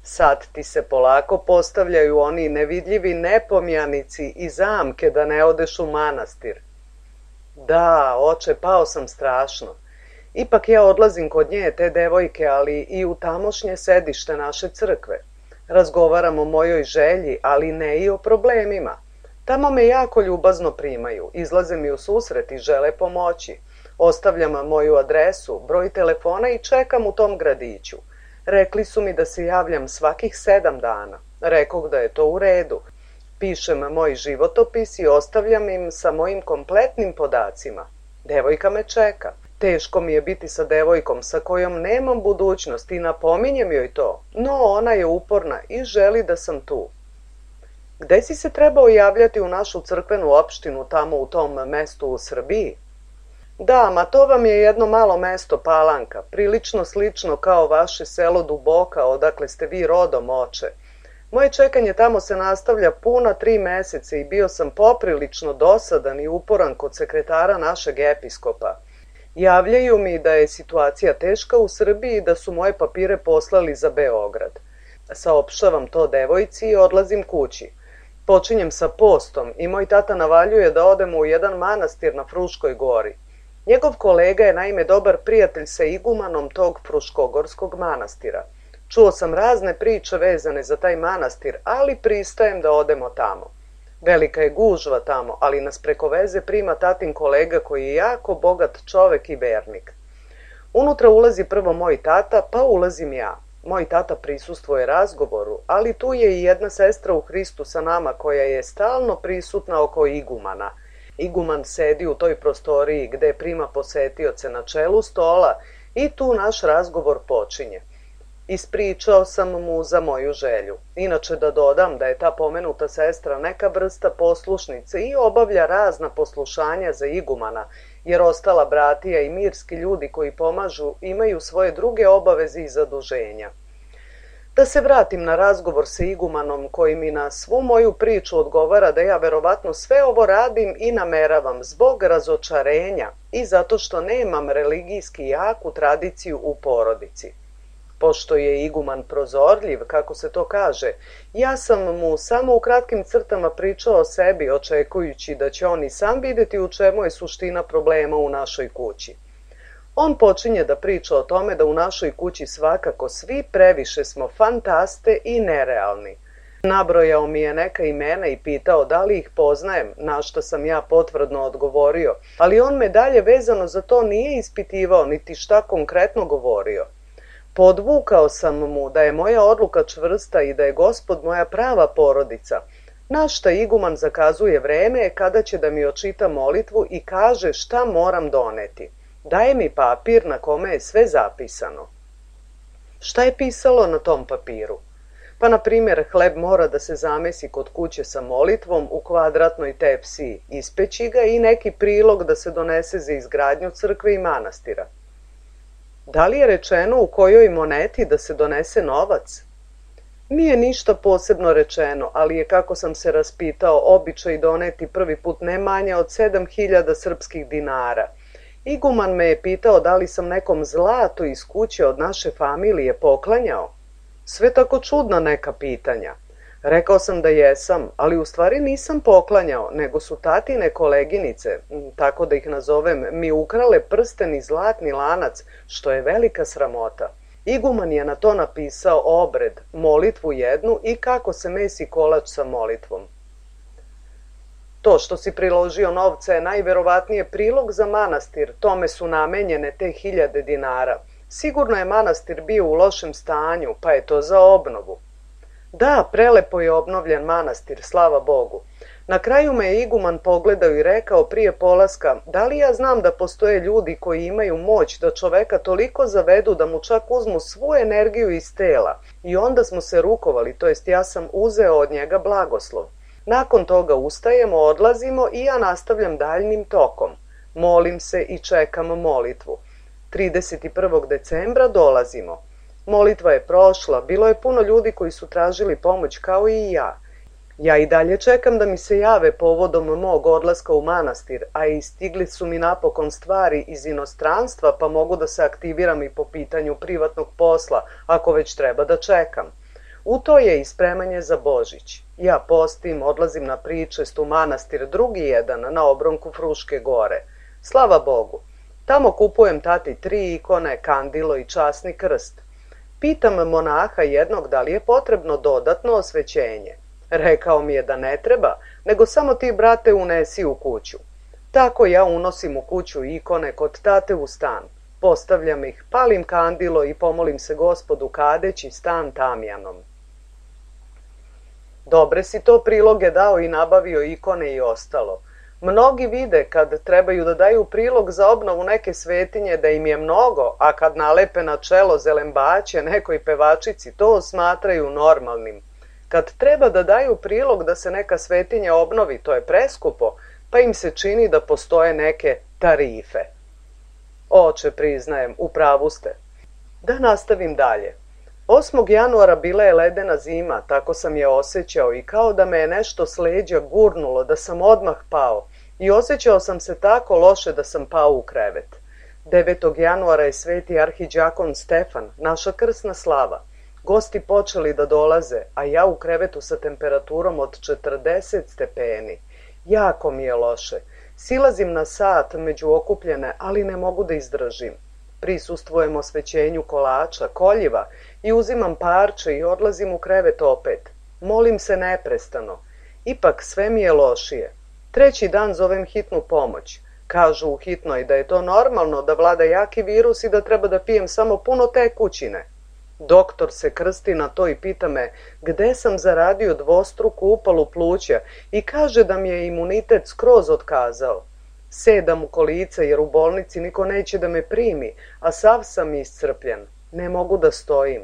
S1: Sad ti se polako postavljaju oni nevidljivi nepomjanici i zamke da ne odeš u manastir. Da, oče, pao sam strašno. Ipak ja odlazim kod nje, te devojke, ali i u tamošnje sedište naše crkve. Razgovaram o mojoj želji, ali ne i o problemima. Tamo me jako ljubazno primaju, izlaze mi u susret i žele pomoći. Ostavljam moju adresu, broj telefona i čekam u tom gradiću. Rekli su mi da se javljam svakih 7 dana. Rekoh da je to u redu. Pišem moj životopis i ostavljam im sa mojim kompletnim podacima. Devojka me čeka. Teško mi je biti sa devojkom sa kojom nemam budućnost i napominjem joj to, no ona je uporna i želi da sam tu. Gde si se trebao javljati u našu crkvenu opštinu tamo u tom mestu u Srbiji? Da, ma to vam je jedno malo mesto Palanka, prilično slično kao vaše selo Duboka, odakle ste vi rodom, oče. Moje čekanje tamo se nastavlja puna 3 meseca i bio sam poprilično dosadan i uporan kod sekretara našeg episkopa. Javljaju mi da je situacija teška u Srbiji i da su moje papire poslali za Beograd. Saopštavam to devojci i odlazim kući. Počinjem sa postom i moj tata navaljuje da odemo u jedan manastir na Fruškoj gori. Njegov kolega je naime dobar prijatelj sa igumanom tog Fruškogorskog manastira. Čuo sam razne priče vezane za taj manastir, ali pristajem da odemo tamo. Velika je gužva tamo, ali nas preko veze prima tatin kolega koji je jako bogat čovek i vernik. Unutra ulazi prvo moj tata, pa ulazim ja. Moj tata prisustvuje razgovoru, ali tu je i jedna sestra u Hristu sa nama koja je stalno prisutna oko igumana. Iguman sedi u toj prostoriji gde prima posetioce na čelu stola i tu naš razgovor počinje. Ispričao sam mu za moju želju. Inače da dodam da je ta pomenuta sestra neka vrsta poslušnice i obavlja razna poslušanja za igumana, jer ostala bratija i mirski ljudi koji pomažu imaju svoje druge obaveze i zaduženja. Da se vratim na razgovor sa igumanom koji mi na svu moju priču odgovara da ja verovatno sve ovo radim i nameravam zbog razočarenja i zato što nemam religijski jaku tradiciju u porodici. Pošto je iguman prozorljiv, kako se to kaže, ja sam mu samo u kratkim crtama pričao o sebi, očekujući da će on i sam vidjeti u čemu je suština problema u našoj kući. On počinje da priča o tome da u našoj kući svakako svi previše smo fantaste i nerealni. Nabrojao mi je neka imena i pitao da li ih poznajem, na što sam ja potvrdno odgovorio, ali on me dalje vezano za to nije ispitivao niti šta konkretno govorio. Podvukao sam mu da je moja odluka čvrsta i da je Gospod moja prava porodica, na šta iguman zakazuje vreme kada će da mi očita molitvu i kaže šta moram doneti. Daje mi papir na kome je sve zapisano. Šta je pisalo na tom papiru? Pa, na primjer, hleb mora da se zamesi kod kuće sa molitvom u kvadratnoj tepsiji, ispeći ga i neki prilog da se donese za izgradnju crkve i manastira. Da li je rečeno u kojoj moneti da se donese novac? Nije ništa posebno rečeno, ali je, kako sam se raspitao, običaj doneti prvi put ne manje od 7.000 srpskih dinara. Iguman me je pitao da li sam nekom zlato iz kuće od naše familije poklanjao. Sve tako čudna neka pitanja. Rekao sam da jesam, ali u stvari nisam poklanjao, nego su tatine koleginice, tako da ih nazovem, mi ukrale prsten i zlatni lanac, što je velika sramota. Iguman je na to napisao obred, molitvu jednu i kako se mesi kolač sa molitvom. To što si priložio novce je najverovatnije prilog za manastir, tome su namenjene te 1000 dinara. Sigurno je manastir bio u lošem stanju, pa je to za obnovu. Da, prelepo je obnovljen manastir, slava Bogu. Na kraju me je iguman pogledao i rekao prije polaska, da li ja znam da postoje ljudi koji imaju moć da čoveka toliko zavedu da mu čak uzmu svu energiju iz tela. I onda smo se rukovali, to jest ja sam uzeo od njega blagoslov. Nakon toga ustajemo, odlazimo i ja nastavljam daljnim tokom. Molim se i čekam molitvu. 31. decembra dolazimo. Molitva je prošla, bilo je puno ljudi koji su tražili pomoć kao i ja. Ja i dalje čekam da mi se jave povodom mog odlaska u manastir, a i stigli su mi napokon stvari iz inostranstva, pa mogu da se aktiviram i po pitanju privatnog posla, ako već treba da čekam. U to je i spremanje za Božić. Ja postim, odlazim na pričest u manastir drugi jedan na obronku Fruške gore. Slava Bogu. Tamo kupujem tati 3 ikone, kandilo i časni krst. Pitam monaha jednog da li je potrebno dodatno osvećenje. Rekao mi je da ne treba, nego samo ti, brate, unesi u kuću. Tako ja unosim u kuću ikone kod tate u stan. Postavljam ih, palim kandilo i pomolim se Gospodu kadeći stan tamjanom. Dobre si to priloge dao i nabavio ikone i ostalo. Mnogi vide kad trebaju da daju prilog za obnovu neke svetinje da im je mnogo, a kad nalepe na čelo zelembaće nekoj pevačici, to smatraju normalnim. Kad treba da daju prilog da se neka svetinja obnovi, to je preskupo, pa im se čini da postoje neke tarife. Oče, priznajem, u pravu ste. Da nastavim dalje. 8. januara bila je ledena zima, tako sam je osjećao i kao da me je nešto s leđa gurnulo, da sam odmah pao. I osjećao sam se tako loše da sam pao u krevet. 9. januara je sveti arhidžakon Stefan, naša krsna slava. Gosti počeli da dolaze, a ja u krevetu sa temperaturom od 40 stepeni. Jako mi je loše. Silazim na sat među okupljene, ali ne mogu da izdržim. Prisustvujem osvećenju kolača, koljiva i uzimam parče i odlazim u krevet opet. Molim se neprestano. Ipak sve mi je lošije. Treći dan zovem hitnu pomoć. Kažu u hitnoj da je to normalno, da vlada jaki virus i da treba da pijem samo puno tekućine. Doktor se krsti na to i pita me gde sam zaradio dvostruku upalu pluća i kaže da mi je imunitet skroz otkazao. Sedam u kolica jer u bolnici niko neće da me primi, a sav sam iscrpljen. Ne mogu da stojim.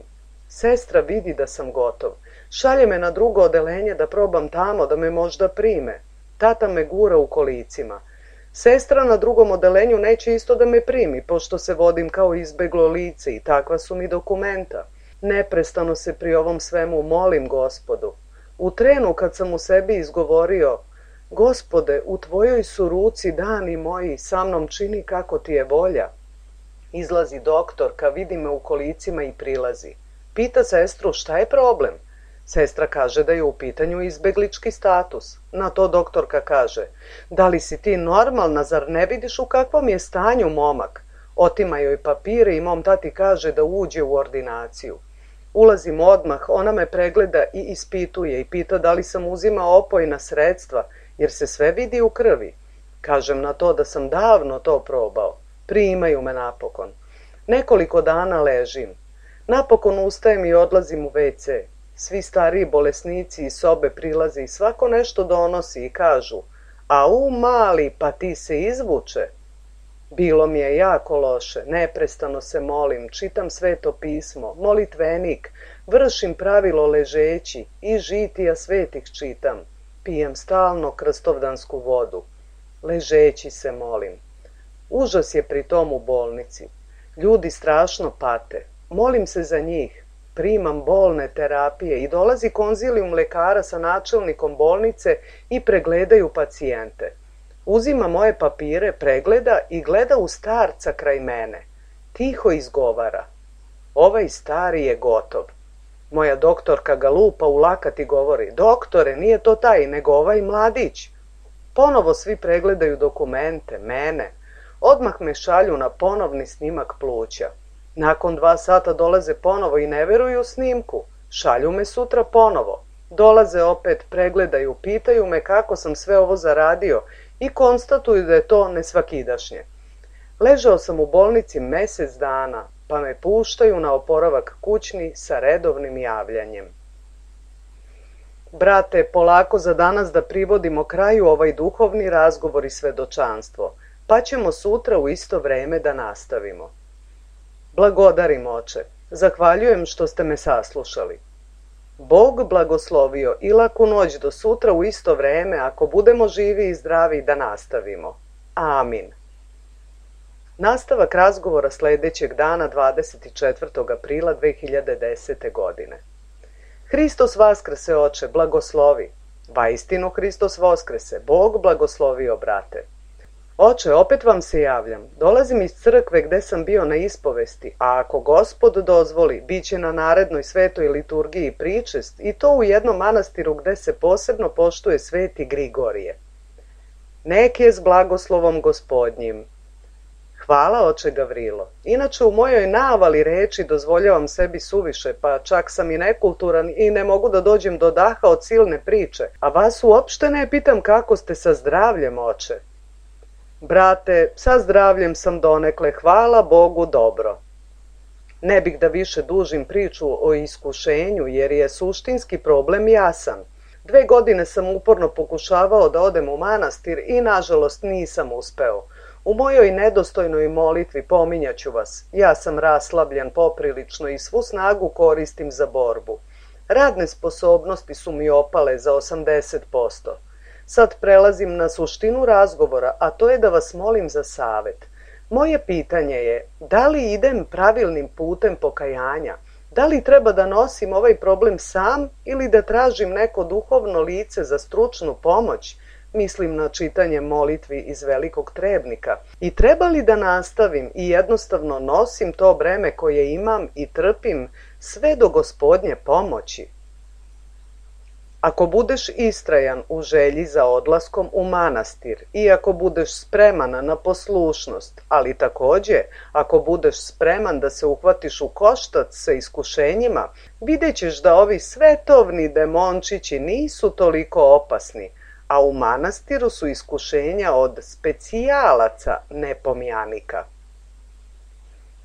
S1: Sestra vidi da sam gotov. Šalje me na drugo odelenje da probam tamo, da me možda prime. Tata me gura u kolicima. Sestra na drugom odelenju neće isto da me primi, pošto se vodim kao izbeglo lice i takva su mi dokumenta. Neprestano se pri ovom svemu molim Gospodu. U trenu kad sam u sebi izgovorio: Gospode, u tvojoj su ruci dani moji, sa mnom čini kako ti je volja. Izlazi doktorka, vidi me u kolicima i prilazi. Pita sestru šta je problem. Sestra kaže da je u pitanju izbeglički status. Na to doktorka kaže: da li si ti normalna, zar ne vidiš u kakvom je stanju momak? Otima joj papire i mom tati kaže da uđe u ordinaciju. Ulazim odmah, ona me pregleda i ispituje i pita da li sam uzimao opojna sredstva, jer se sve vidi u krvi. Kažem na to da sam davno to probao. Primaju me napokon. Nekoliko dana ležim. Napokon ustajem i odlazim u WC. Svi stariji bolesnici iz sobe prilaze i svako nešto donosi i kažu: au mali, pa ti se izvuče. Bilo mi je jako loše, neprestano se molim, čitam Sveto pismo, molitvenik, vršim pravilo ležeći i žitija svetih čitam. Pijem stalno krstovdansku vodu. Ležeći se molim. Užas je pri tom u bolnici. Ljudi strašno pate. Molim se za njih. Primam bolne terapije i dolazi konzilijum lekara sa načelnikom bolnice i pregledaju pacijente. Uzima moje papire, pregleda i gleda u starca kraj mene. Tiho izgovara: ovaj stari je gotov. Moja doktorka ga lupa u lakat i govori: doktore, nije to taj, nego ovaj mladić. Ponovo svi pregledaju dokumente, mene. Odmah me šalju na ponovni snimak pluća. Nakon 2 sata dolaze ponovo i ne veruju snimku. Šalju me sutra ponovo. Dolaze opet, pregledaju, pitaju me kako sam sve ovo zaradio i konstatuju da je to nesvakidašnje. Ležao sam u bolnici mjesec dana, pa me puštaju na oporavak kućni sa redovnim javljanjem. Brate, polako za danas da privodimo kraju ovaj duhovni razgovor i svedočanstvo, pa ćemo sutra u isto vreme da nastavimo. Blagodarim, oče, zahvaljujem što ste me saslušali. Bog blagoslovio i laku noć do sutra u isto vreme, ako budemo živi i zdravi, da nastavimo. Amin. Nastavak razgovora sljedećeg dana 24. aprila 2010. godine. Hristos vaskrese, oče, blagoslovi. Vaistinu Hristos vaskrese, Bog blagoslovio, brate. Oče, opet vam se javljam. Dolazim iz crkve gde sam bio na ispovesti, a ako Gospod dozvoli, bit će na narednoj svetoj liturgiji pričest i to u jednom manastiru gde se posebno poštuje sveti Grigorije. Nek je s blagoslovom Gospodnjim. Hvala, oče Gavrilo. Inače u mojoj navali reči dozvoljavam sebi suviše, pa čak sam i nekulturan i ne mogu da dođem do daha od silne priče, a vas uopšte ne pitam kako ste sa zdravljem, oče. Brate, sa zdravljem sam donekle, hvala Bogu, dobro. Ne bih da više dužim priču o iskušenju, jer je suštinski problem jasan. 2 godine sam uporno pokušavao da odem u manastir i nažalost nisam uspeo. U mojoj nedostojnoj molitvi pominjaću vas. Ja sam raslabljen poprilično i svu snagu koristim za borbu. Radne sposobnosti su mi opale za 80%. Sad prelazim na suštinu razgovora, a to je da vas molim za savet. Moje pitanje je, da li idem pravilnim putem pokajanja? Da li treba da nosim ovaj problem sam ili da tražim neko duhovno lice za stručnu pomoć? Mislim na čitanje molitvi iz Velikog Trebnika. I treba li da nastavim i jednostavno nosim to breme koje imam i trpim sve do Gospodnje pomoći. Ako budeš istrajan u želji za odlaskom u manastir i ako budeš spreman na poslušnost, ali također ako budeš spreman da se uhvatiš u koštac sa iskušenjima, vidjet ćeš da ovi svetovni demončići nisu toliko opasni, a u manastiru su iskušenja od specijalaca nepomjanika.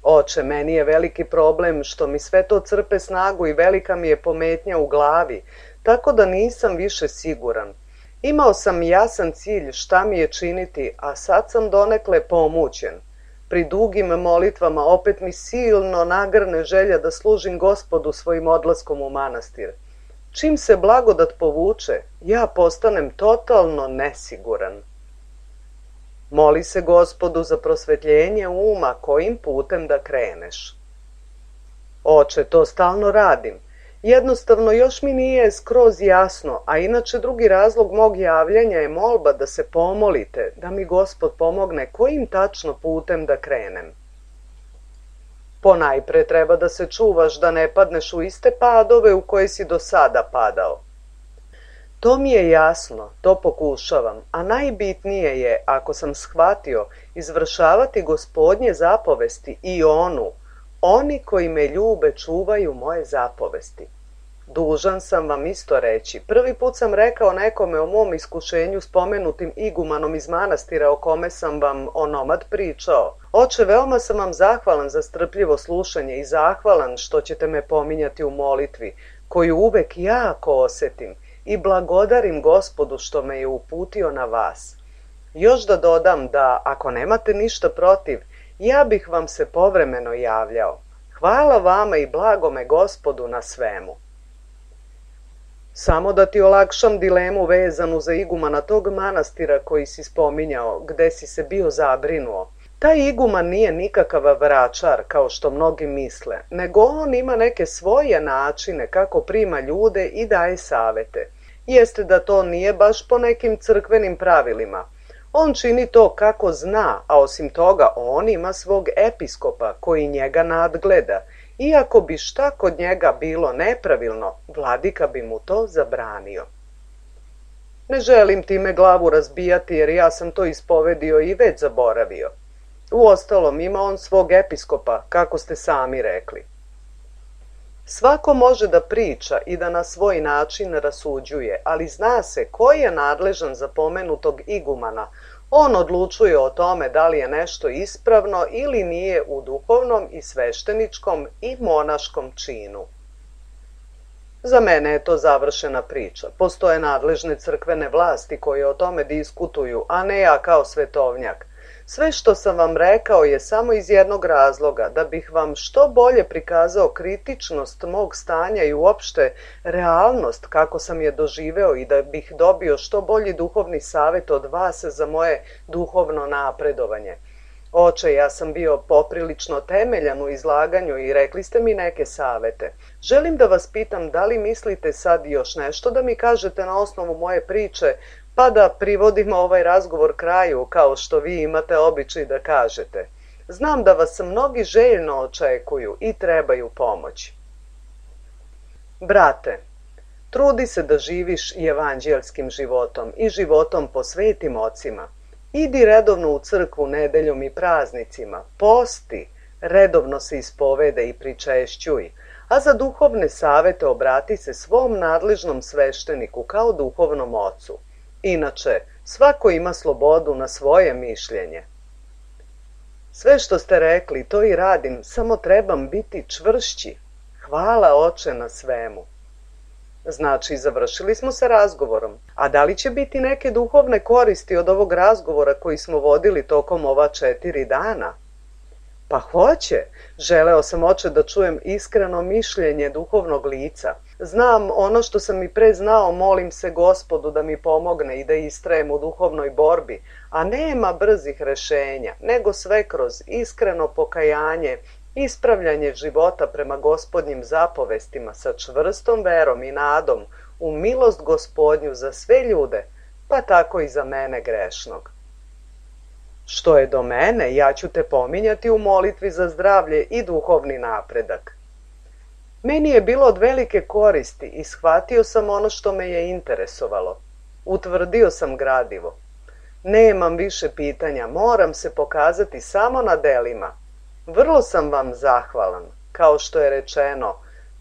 S1: Oče, meni je veliki problem što mi sve to crpe snagu i velika mi je pometnja u glavi, tako da nisam više siguran. Imao sam jasan cilj šta mi je činiti, a sad sam donekle pomućen. Pri dugim molitvama opet mi silno nagrne želja da služim Gospodu svojim odlaskom u manastir. Čim se blagodat povuče, ja postanem totalno nesiguran. Moli se Gospodu za prosvetljenje uma kojim putem da kreneš. Oče, to stalno radim. Jednostavno još mi nije skroz jasno, a inače drugi razlog mog javljanja je molba da se pomolite, da mi Gospod pomogne kojim tačno putem da krenem. Ponajpre treba da se čuvaš da ne padneš u iste padove u koje si do sada padao. To mi je jasno, to pokušavam, a najbitnije je, ako sam shvatio, izvršavati Gospodnje zapovesti i oni koji me ljube čuvaju moje zapovesti. Dužan sam vam isto reći. Prvi put sam rekao nekome o mom iskušenju spomenutim igumanom iz manastira o kome sam vam onomad pričao. Oče, veoma sam vam zahvalan za strpljivo slušanje i zahvalan što ćete me pominjati u molitvi, koju uvek jako osjetim, i blagodarim Gospodu što me je uputio na vas. Još da dodam da, ako nemate ništa protiv, ja bih vam se povremeno javljao. Hvala vama i blagome Gospodu na svemu. Samo da ti olakšam dilemu vezanu za igumana tog manastira koji si spominjao, gde si se bio zabrinuo. Taj iguman nije nikakav vračar, kao što mnogi misle, nego on ima neke svoje načine kako prima ljude i daje savete. Jeste da to nije baš po nekim crkvenim pravilima. On čini to kako zna, a osim toga on ima svog episkopa koji njega nadgleda. Iako bi šta kod njega bilo nepravilno, vladika bi mu to zabranio. Ne želim time glavu razbijati jer ja sam to ispovedio i već zaboravio. Uostalom ima on svog episkopa, kako ste sami rekli. Svako može da priča i da na svoj način rasuđuje, ali zna se ko je nadležan za pomenutog igumana. On odlučuje o tome da li je nešto ispravno ili nije u duhovnom i svešteničkom i monaškom činu. Za mene je to završena priča. Postoje nadležne crkvene vlasti koje o tome diskutuju, a ne ja kao svetovnjak. Sve što sam vam rekao je samo iz jednog razloga, da bih vam što bolje prikazao kritičnost mog stanja i uopšte realnost kako sam je doživeo i da bih dobio što bolji duhovni savjet od vas za moje duhovno napredovanje. Oče, ja sam bio poprilično temeljan u izlaganju i rekli ste mi neke savete. Želim da vas pitam da li mislite sad još nešto da mi kažete na osnovu moje priče, pa da privodimo ovaj razgovor kraju, kao što vi imate običaj da kažete. Znam da vas mnogi željno očekuju i trebaju pomoć. Brate, trudi se da živiš evanđelskim životom i životom po svetim ocima. Idi redovno u crkvu nedeljom i praznicima, posti, redovno se ispovede i pričešćuj, a za duhovne savete obrati se svom nadležnom svešteniku kao duhovnom ocu. Inače, svako ima slobodu na svoje mišljenje. Sve što ste rekli, to i radim, samo trebam biti čvršći. Hvala, Oče, na svemu. Znači, završili smo sa razgovorom. A da li će biti neke duhovne koristi od ovog razgovora koji smo vodili tokom ova 4 dana? Pa hoće. Želeo sam, Oče, da čujem iskreno mišljenje duhovnog lica. Znam ono što sam i pre znao, molim se Gospodu da mi pomogne i da istrajem u duhovnoj borbi, a nema brzih rešenja, nego sve kroz iskreno pokajanje, ispravljanje života prema Gospodnjim zapovestima sa čvrstom verom i nadom u milost Gospodnju za sve ljude, pa tako i za mene grešnog. Što je do mene, ja ću te pominjati u molitvi za zdravlje i duhovni napredak. Meni je bilo od velike koristi i shvatio sam ono što me je interesovalo. Utvrdio sam gradivo. Nemam više pitanja, moram se pokazati samo na delima. Vrlo sam vam zahvalan. Kao što je rečeno,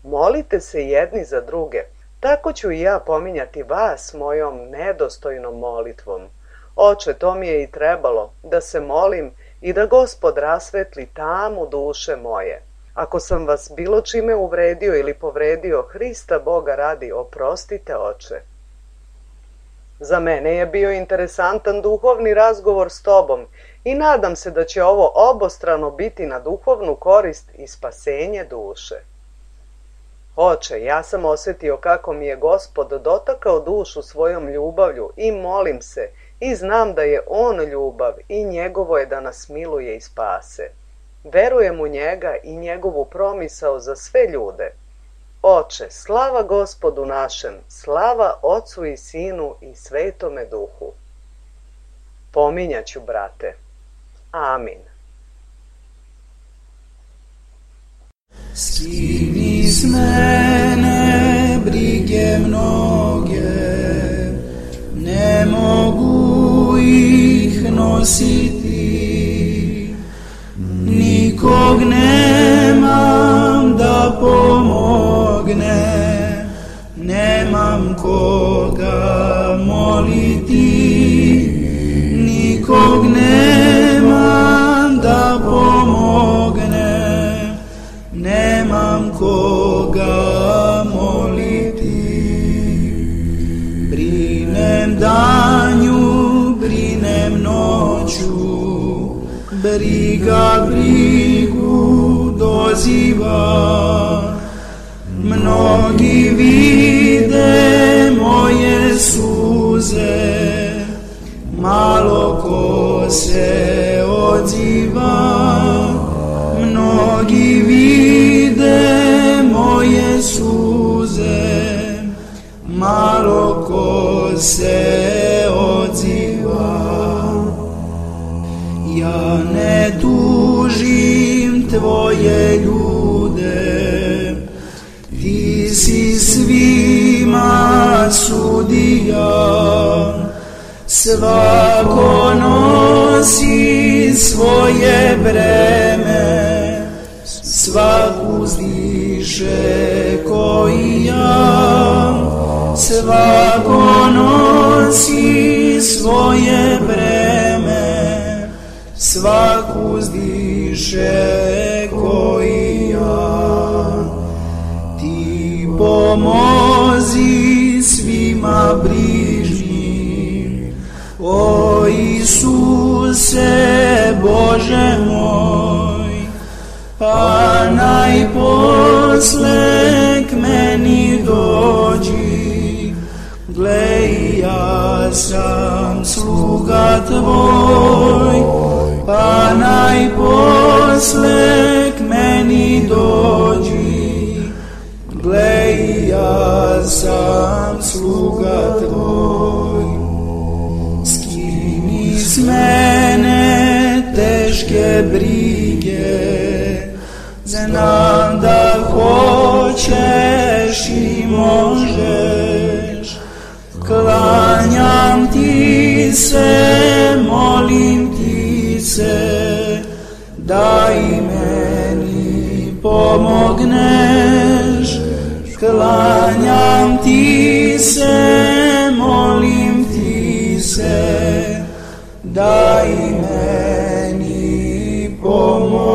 S1: molite se jedni za druge. Tako ću i ja pominjati vas mojom nedostojnom molitvom. Oče, to mi je i trebalo, da se molim i da Gospod rasvetli tamu duše moje. Ako sam vas bilo čime uvredio ili povredio, Hrista Boga radi, oprostite, Oče. Za mene je bio interesantan duhovni razgovor s tobom i nadam se da će ovo obostrano biti na duhovnu korist i spasenje duše. Oče, ja sam osjetio kako mi je Gospod dotakao dušu svojom ljubavlju i molim se i znam da je On ljubav i njegovo je da nas miluje i spase. Verujem u njega i njegovu promisao za sve ljude. Oče, slava Gospodu našem, slava Ocu i Sinu i Svetome Duhu. Pominjaću, brate. Amin.
S2: Skini s mene brige mnoge, ne mogu ih nositi, nikog nemam da pomogne, nemam koga moliti, nikog nemam da pomogne, nemam koga moliti. Brinem danju, brinem noću, briga brigu doziva. Mnogi vide moje suze, malo ko se odziva. Mnogi vide moje suze, malo ko se odziva. Ja ne tužim tvoje ljude, ti si svima sudija. Svako nosi svoje breme, svak uzdiše ko i ja. Svako nosi svoje breme, svak uzdiše ko i ja. Ti pomozi svima brižnim, o Isuse Bože moj, pa najposle k meni dođi. Glej, ja sam sluga tvoj, pa najposle k meni dođi. Glej, ja sam sluga tvoj. Skini s mene teške brige, znam da hoćeš i možeš. Klanjam ti se, molim ti se, da i meni pomogneš. Klanjam ti se, molim ti se, da i meni pomogneš.